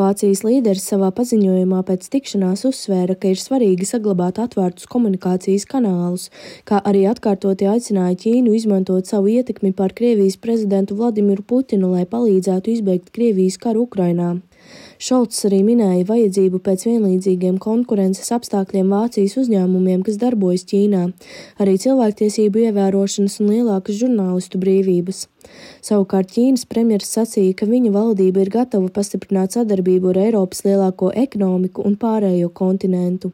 Vācijas līderis savā paziņojumā pēc tikšanās uzsvēra, ka ir svarīgi saglabāt atvērtus komunikācijas kanālus, kā arī atkārtoti aicināja Ķīnu izmantot savu ietekmi pār Krievijas prezidentu Vladimiru Putinu, lai palīdzētu izbeigt Krievijas karu Ukrainā. Šolts arī minēja vajadzību pēc vienlīdzīgiem konkurences apstākļiem Vācijas uzņēmumiem, kas darbojas Ķīnā, arī cilvēktiesību ievērošanas un lielākas žurnālistu brīvības. Savukārt Ķīnas premjeras sacīja, ka viņa valdība ir gatava pastiprināt sadarbību ar Eiropas lielāko ekonomiku un pārējo kontinentu.